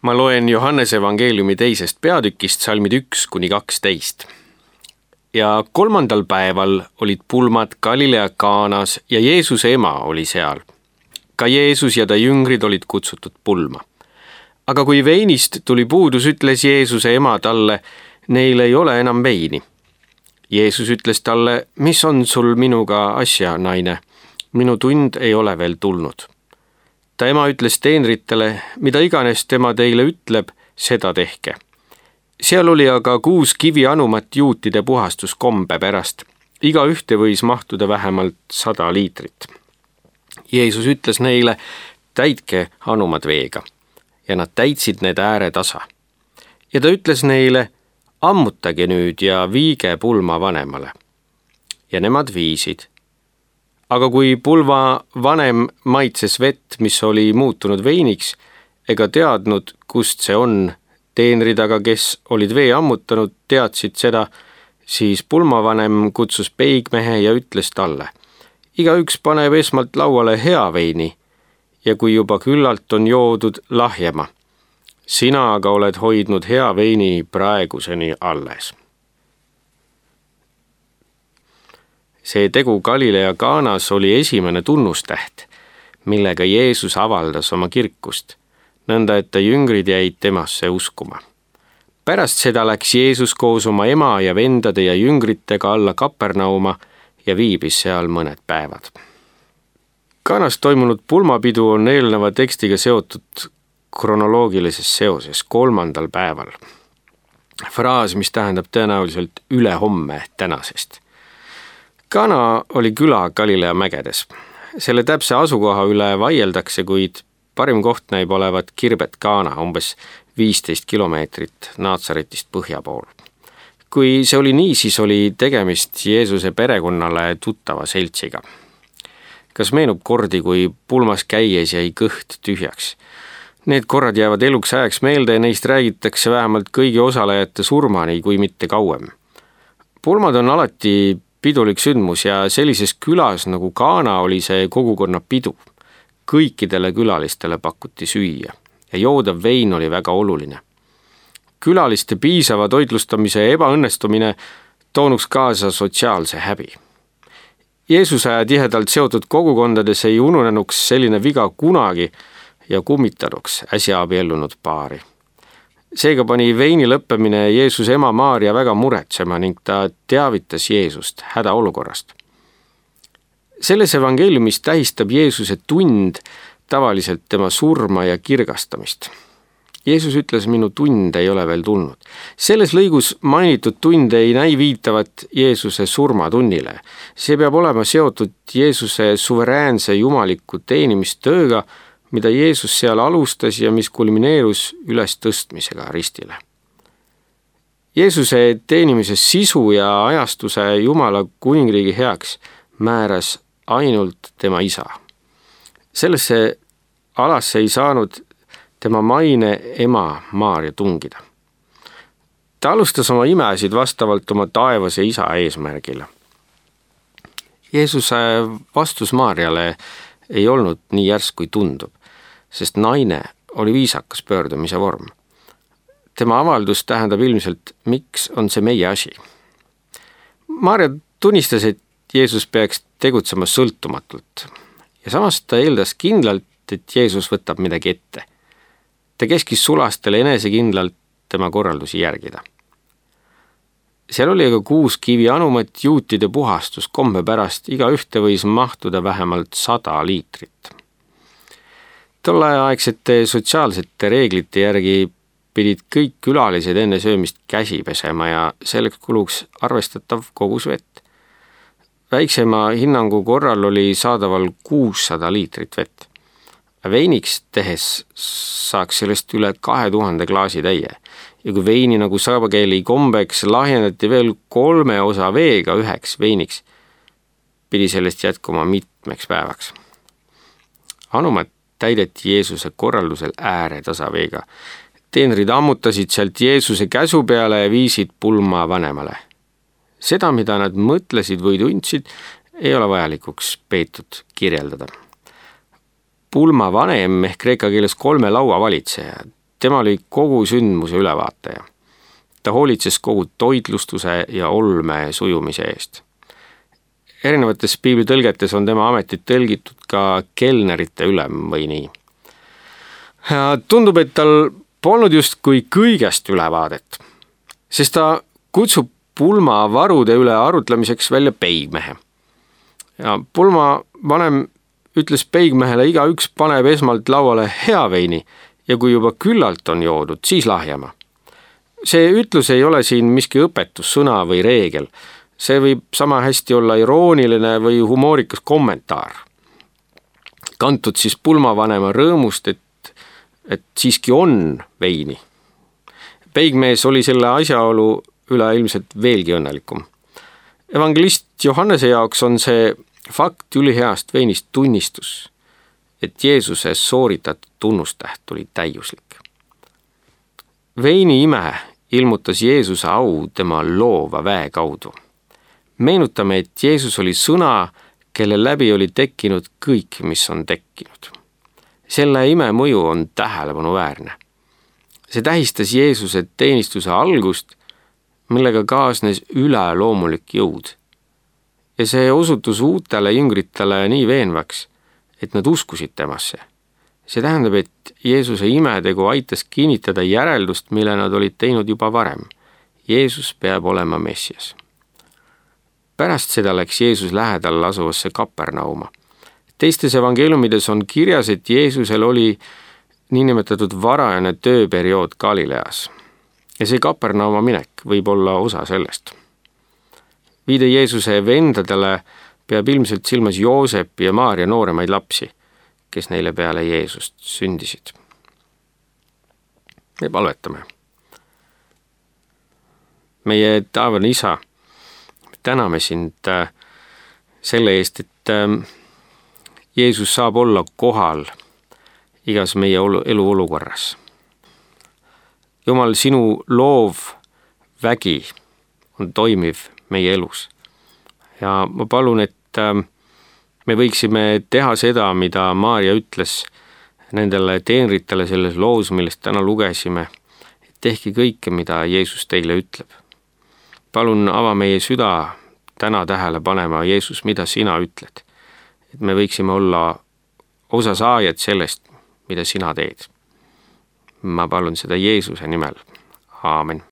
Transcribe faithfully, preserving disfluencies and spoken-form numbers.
Ma loen Johannese evangeeliumi teisest peatükist salmid üks kuni kaksteist. Ja kolmandal päeval olid pulmad Galilea Kaanas ja Jeesuse ema oli seal. Ka Jeesus ja ta jüngrid olid kutsutud pulma. Aga kui veinist tuli puudus, ütles Jeesuse ema talle, neil ei ole enam veini. Jeesus ütles talle, mis on sul minuga asja, naine? Minu tund ei ole veel tulnud. Ta ema ütles teenritele, mida iganes tema teile ütleb, seda tehke. Seal oli aga kuus kivi anumat juutide puhastuskombe pärast. Iga ühte võis mahtuda vähemalt sada liitrit. Jeesus ütles neile, täitke anumad veega. Ja nad täitsid need ääre tasa. Ja ta ütles neile, ammutage nüüd ja viige pulma vanemale. Ja nemad viisid. Aga kui pulma vanem maitses vett, mis oli muutunud veiniks, ega teadnud, kust see on, teenrid aga, kes olid vee ammutanud, teadsid seda, siis pulmavanem kutsus peigmehe ja ütles talle, igaüks paneb esmalt lauale hea veini ja kui juba küllalt on joodud lahjema, sina aga oled hoidnud hea veini praeguseni alles. See tegu Galilea Kaanas oli esimene tunnustäht, millega Jeesus avaldas oma kirkust, nõnda et ta jüngrid jäid temasse uskuma. Pärast seda läks Jeesus koos oma ema ja vendade ja jüngritega alla Kapernauma ja viibis seal mõned päevad. Kaanas toimunud pulmapidu on eelneva tekstiga seotud kronoloogilises seoses kolmandal päeval. Fraas, mis tähendab tõenäoliselt ülehomme tänasest. Kana oli küla Galilea mägedes. Selle täpse asukoha üle vaieldakse, kuid parim koht näib olevat Kirbet Kana, umbes viisteist kilomeetrit Naatsaretist põhja pool. Kui see oli nii, siis oli tegemist Jeesuse perekonnale tuttava seltsiga. Kas meenub kordi, kui pulmas käies jäi kõht tühjaks? Need korrad jäävad eluks ajaks meelde ja neist räägitakse vähemalt kõigi osalejate surmani, kui mitte kauem. Pulmad on alati pidulik sündmus ja sellises külas nagu Kana oli see kogukonna pidu. Kõikidele külalistele pakuti süüa ja joodav vein oli väga oluline. Külaliste piisava toitlustamise ebaõnnestumine toonuks kaasa sotsiaalse häbi. Jeesuse tihedalt seotud kogukondades ei ununenuks selline viga kunagi ja kummitanuks äsja abiellunud paari. Seega pani veini lõppemine Jeesuse ema Maaria väga muretsema ning ta teavitas Jeesust hädaolukorrast. Selles evangeeliumis tähistab Jeesuse tund tavaliselt tema surma ja kirgastamist. Jeesus ütles, minu tund ei ole veel tulnud. Selles lõigus mainitud tund ei näi viitavat Jeesuse surmatunnile. See peab olema seotud Jeesuse suveräänse jumaliku teenimistööga, mida Jeesus seal alustas ja mis kulmineerus üles tõstmisega ristile. Jeesuse teenimise sisu ja ajastuse Jumala kuningriigi heaks määras ainult tema isa. Sellesse alasse ei saanud tema maine ema Maaria tungida. Ta alustas oma imesid vastavalt oma taevase isa eesmärgile. Jeesuse vastus Maariale ei olnud nii järsk kui tundub, sest naine oli viisakas pöördumise vorm. Tema avaldus tähendab ilmselt, miks on see meie asi. Maaria tunnistas, et Jeesus peaks tegutsema sõltumatult ja samas ta eeldas kindlalt, et Jeesus võtab midagi ette. Ta keskis sulastele enesekindlalt tema korraldusi järgida. Seal oli aga kuus kivi anumat juutide puhastuskombe pärast, iga ühte võis mahtuda vähemalt sada liitrit. Tolleaegsete sotsiaalsete reeglite järgi pidid kõik külalised enne söömist käsi pesema ja selleks kuluks arvestatav kogus vett. Väiksema hinnangu korral oli saadaval kuussada liitrit vett. Veiniks tehes saaks sellest üle kahe tuhande klaasi täie ja kui veini nagu saabakeli kombeks lahjendati veel kolme osa veega üheks veiniks, pidi sellest jätkuma mitmeks päevaks. Anumat täideti Jeesuse korraldusel ääretasa veega. Teenrid ammutasid sealt Jeesuse käsu peale ja viisid pulma vanemale. Seda, mida nad mõtlesid või tundsid, ei ole vajalikuks peetud kirjeldada. Pulma vanem ehk kreeka keeles kolme laua valitseja. tema oli kogu sündmuse ülevaataja. Ta hoolitses kogu toitlustuse ja olme sujumise eest. Erinevates piiblitõlgetes on tema ametit tõlgitud ka kelnerite ülem või nii. Ja tundub, et tal polnud justkui kõigest ülevaadet, sest ta kutsub pulmavarude üle arutlemiseks välja peigmehe. Ja pulmavanem ütles peigmehele, igaüks paneb esmalt lauale hea veini ja kui juba küllalt on joodud, siis lahjema. See ütlus ei ole siin miski õpetussõna või reegel. See võib sama hästi olla irooniline või humoorikas kommentaar. Kantud siis pulmavanema rõõmust, et, et siiski on veini. Peigmees oli selle asjaolu üle ilmselt veelgi õnnelikum. Evangelist Johannese jaoks on see fakt üliheast veinist tunnistus, et Jeesuse sooritatud tunnustäht oli täiuslik. Veini ime ilmutas Jeesuse au tema loova väe kaudu. Meenutame, et Jeesus oli sõna, kelle läbi oli tekkinud kõik, mis on tekkinud. Selle ime mõju on tähelepanuväärne. See tähistas Jeesuse teenistuse algust, millega kaasnes üleloomulik jõud. Ja see osutus uutele jüngritele nii veenvaks, et nad uskusid temasse. See tähendab, et Jeesuse imetegu aitas kinnitada järeldust, mille nad olid teinud juba varem. Jeesus peab olema Messias. Pärast seda läks Jeesus lähedal asuvasse Kapernauma. Teistes evangeeliumides on kirjas, et Jeesusel oli niinimetatud varajane tööperiood Galileas. Ja see Kapernauma minek võib olla osa sellest. Viide Jeesuse vendadele peab ilmselt silmas Joosepi ja Maaria nooremaid lapsi, kes neile peale Jeesust sündisid. Me palvetame. Meie taevane Isa, täname sind selle eest, et Jeesus saab olla kohal igas meie elu olukorras. Jumal, sinu loov vägi on toimiv meie elus. Ja ma palun, et me võiksime teha seda, mida Maaria ütles nendele teenritele selles loos, millest täna lugesime. Tehke kõike, mida Jeesus teile ütleb. Palun ava meie süda täna tähele panema, Jeesus, mida sina ütled. Et me võiksime olla osasaajad sellest, mida sina teed. Ma palun seda Jeesuse nimel. Aamen.